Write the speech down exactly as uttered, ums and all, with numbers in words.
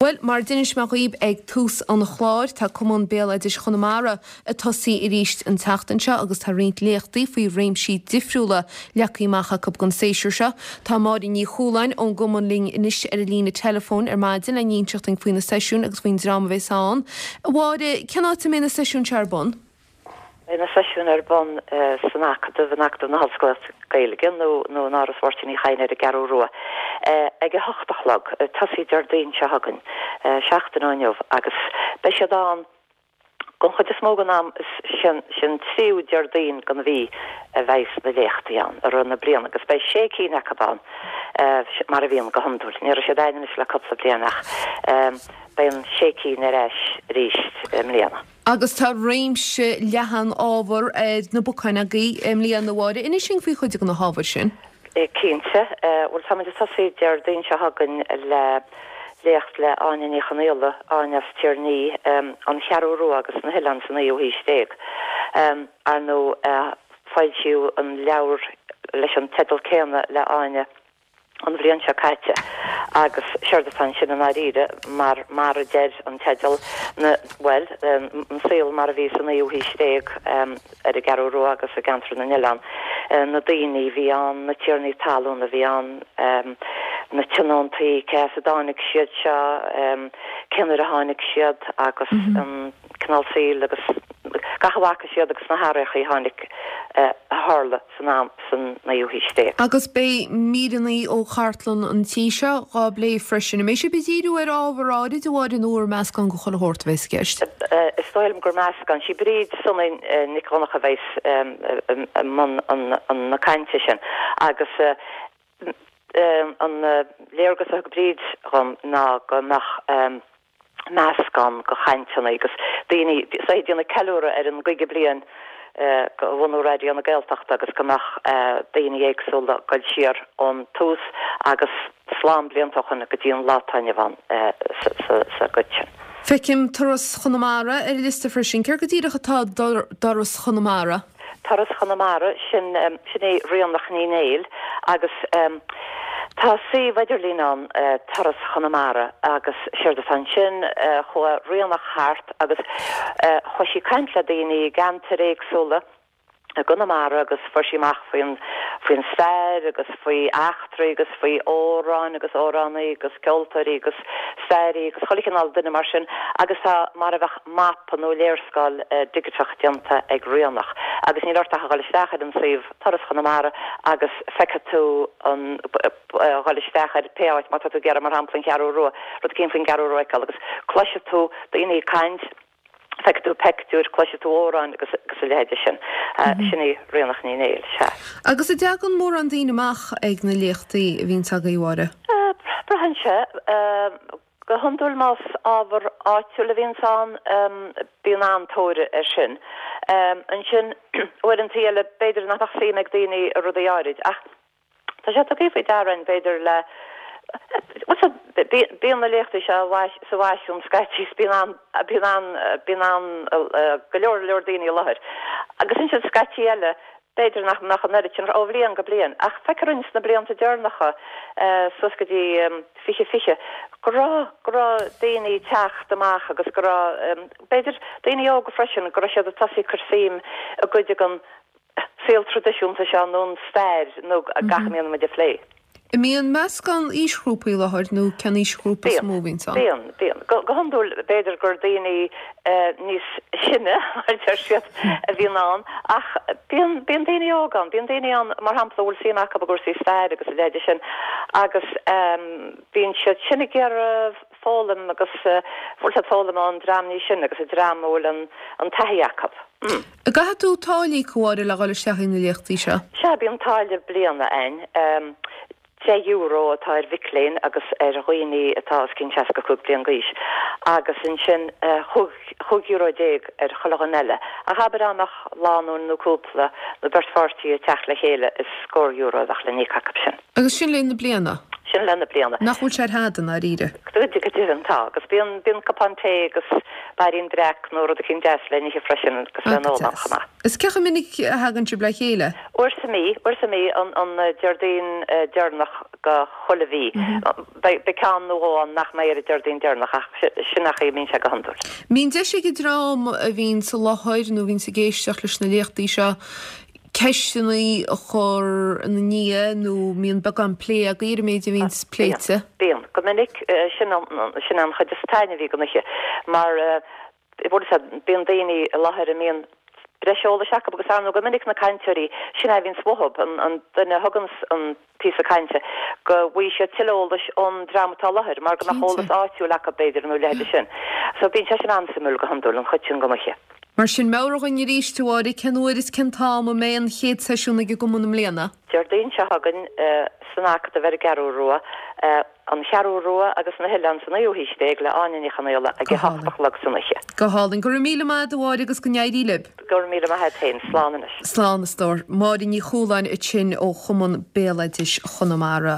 Bhuel, mar d'inis mé dhaoibh ag tús an chláir, tá Cumann Béaloidis Chonamara ag tosaí arís an tseachtain seo agus tá roinnt léachtaí faoi réimsí difriúla leagtha amach acu don séasúr seo. Tá Máire Ní Chualáin ón gcumann linn anois ar an líne telefóin ar maidin le n-inseacht dúinn faoi na seisiúin agus faoin dream a bheas ann. Mháire, cén áit a mbeidh na seisiúin seo ar bun? Beidh na seisiúin ar bun san Acadamh in Acadamh na hOllscoile Gaeilge nó nó in Áras Mháirtín Uí Chadhain ar an gCeathrú Rua. Ag a hocht a chlog, tosaí Déardaoin seo chugainn, seachtain ó inniu, agus beidh siad ann don chuid is mó den am sin sin tríú Déardaoin den mhí a bheidh na léachtaí ann i rith na bliana agus beidh sé cinn acu ann mar a bhíonn go hiondúil. Ní raibh siad ann anois le cúpla bliain ach beidh an sé cinn ar ais arís i mbliana. Agus tá réimse leathan ábhar ar na bacáin agaibh i mbliana, a Mháire. Inis dúinn faoi chuid de na hábhair sin. Cinnte, bhuel táimid ag tosaí Déardaoin seo chugainn le léacht le Áine Ní Chonaola, Áine as Tír an Fhia, an Cheathrú Rua agus na hoileáin sa naoú haois déag. Ar ndóigh foilsíodh an leabhar leis an teideal céanna le Áine an bhliain seo caite agus séard atá ansin i ndáiríre mar mar a deir an teideal na bhuel an saol mar a bhí sa naoú haois déag ar an gCeathrú Rua agus i gceantar na n-oileán na daoine a bhí ann na tiarnaí talún a bhí ann na tionóntaí cé as a dtáinig siad seo cén uair a tháinig siad agus an cineál saoil agus gach a bhfaca siad agus na hathruithe a tháinig a tharla san am san naoú haois déag. Agus beidh míreanna ó chartlann an tí seo á bplé freisin. An mbeidh sibh ag díriú ar ábhar áirid a Mháire nó ar meascán de chuile shórt a bheas i gceist? Is dóigh liom gur meascán. Sí Bríd Sonaí Nic Dhonncha a bheas i mbun na cainte sin agus an léargas a thug Bríd dhom ná go mbeadh meascán de chainteanna agus daoine is ag déanamh ceiliúradh ar an gcaoga bliain de bhunú Raidió na Gaeltachta agus go mbeadh daoine éagsúla ag dul siar ón tús agus slám blianta ó shin go dtí an lá atá inniu ann sa gcuid sin. Feicim Turas Chonamara ar an liosta freisin. Céard go díreach atá i dTuras Chonamara? Turas Chonamara, sin sin é Ríonach Ní Néill agus tá suíomh idirlín ann Turas Chonamara agus séard atá ansin, chuaigh Ríonach thart agus chuaigh sí ag caint le daoine i gceantair éagsúla i gConamara agus fuair sí amach faoin faoin stair agus faoi eachtraí agus faoi amhráin agus amhránaí agus ceoltóirí agus stairí agus chuile chineál duine mar sin agus tá mar a bheadh mapa nó léarscáil digiteach déanta ag Ríonach agus níl ort ach a dhul isteach ar an suíomh Turas Chonamara agus feicfidh tú an dhul isteach ar pé áit má tá tú ag iarraidh mar shampla an Cheathrú Rua rud éicint faoin gCeathrú Rua a fheiceáil agus cloisfidh tú daoine ag caint feicfidh tú pictiúir, cloisfidh tú amhráin agus agus a leithéide sin. Sin í Ríonach Ní Néill, sea. Agus an dtagann mórán daoine amach ag na léachtaí a bhíonns agaibh, a Mháire? Braitheann sé. Go hiondúil más ábhar áitiúil a bhíonns ann, bíonn an-tóir air sin. Ansin, uaireanta eile, b'fhéidir nach mbeadh suim ag daoine i rudaí áirid, ach tá sé tugtha faoi deara againn, b'fhéidir, le, bhuel, bíonn na léachtaí seo sa bhFaisean scaití is bíonn an, bíonn an, bíonn an, go leor leor daoine i láthair. Agus ansin scaití eile, b'fhéidir nach mbeadh an oiread sin ó bhliain go bliain, ach feictear dúinn sna blianta deireanacha, suas go dtí fiche fiche, go raibh, go raibh daoine ag teacht amach agus go raibh, b'fhéidir, daoine óga freisin, go raibh siad ag tosaí ag cur suim i gcuid den saol traidisiúnta seo nó an stair nó gach a mbíonn muid a phlé. An mbíonn meascán aoisghrúpaí i láthair nó cén aoisghrúpa is mó a bhíonns ann? Bíonn, bíonn. Go hiondúil b'fhéidir gur daoine níos sine, mar a deir siad, a bhíonn ann ach bíonn, bíonn daoine óga ann. Bíonn daoine ann, mar shampla, a bhfuil suim acu i gcúrsaí staire agus a leithéide sin agus bíonn siad sin ag iarraidh foghlaim agus bhfuil siad foghlaim ón dream níos sine agus an dream a bhfuil an, an taithí acu. An gcaithfidh tú táille a íoc, a Mháire, le dhul isteach ag na léachtaí seo? Sea, bíonn táille bliana ann. Deich euro atá ar mhic léinn agus ar dhaoine atá os cionn seasca cúig bliain d'aois agus ansin chúig euro déag ar chuile dhuine eile. Ach abair dá mbeadh lánúin nó cúpla nó beirt pháirtí ag teacht le chéile is scór euro a bheadh le n-íoc acu sin. Agus sin le linn na bliana? Sin lá na bliana. Nach bhfuil sé ar fad i ndáiríre? Go deimhin tá, agus bíonn bíonn cupán tae agus bairín breac nó rud eicínt deas le n-ithe freisin agus le n-ól ann chomh maith. Is cé chomh minic a thagann sibh le chéile? Uair sa mhí, uair sa mhí, an an Déardaoin deireanach de chuile mhí. Beidh beidh ceann nó dhó ann nach mbeidh ar an Déardaoin deireanach ach sin an chaoi a mbíonn sé go hiondúil. Mbíonn deis ag an dream a bhíonn sa láthair nó a bhíonns ag éisteacht leis na léachtaí seo ceisteanna a chur ina ndiaidh nó mbíonn beagán plé agaibh ar an méid a bhíonns pléite? Bíonn. Go minic sin sin an chuid is taitneamhaí den oíche mar bhfuil a fhios agat bíonn daoine i láthair a mbíonn breis eolais acu agus ar ndóigh go minic na cainteoirí sin é a bhíonns uathu, an duine a thuganns an píosa cainte, go bhfaighidh siad tuilleadh eolais ón dream atá i láthair mar go mbeadh eolas áitiúil acu b'fhéidir nó a leithéid sin. So bíonn sé sin an-suimiúil go hiondúil, an chuid sin den oíche. Mar sin, meabhraigh dhúinn arís, a Mháire, cén uair is cén t-am a mbeidh an chéad seisiún ag an gCumann i mbliana? Déardaoin seo chugainn san Acadamh ar an gCeathrú Rua, An Cheathrú Rua agus na hOileáin sa Naoú hAois Déag le Áine Ní Chonaola ag a hocht a chlog san oíche. Go hálainn. Go raibh míle maith agat, a Mháire, agus go n-éirí libh. Go raibh míle maith agat féin. Slán anois. Slán, a stór. Máire Ní Chualáin ansin ó Chumann Béaloidis Chonamara.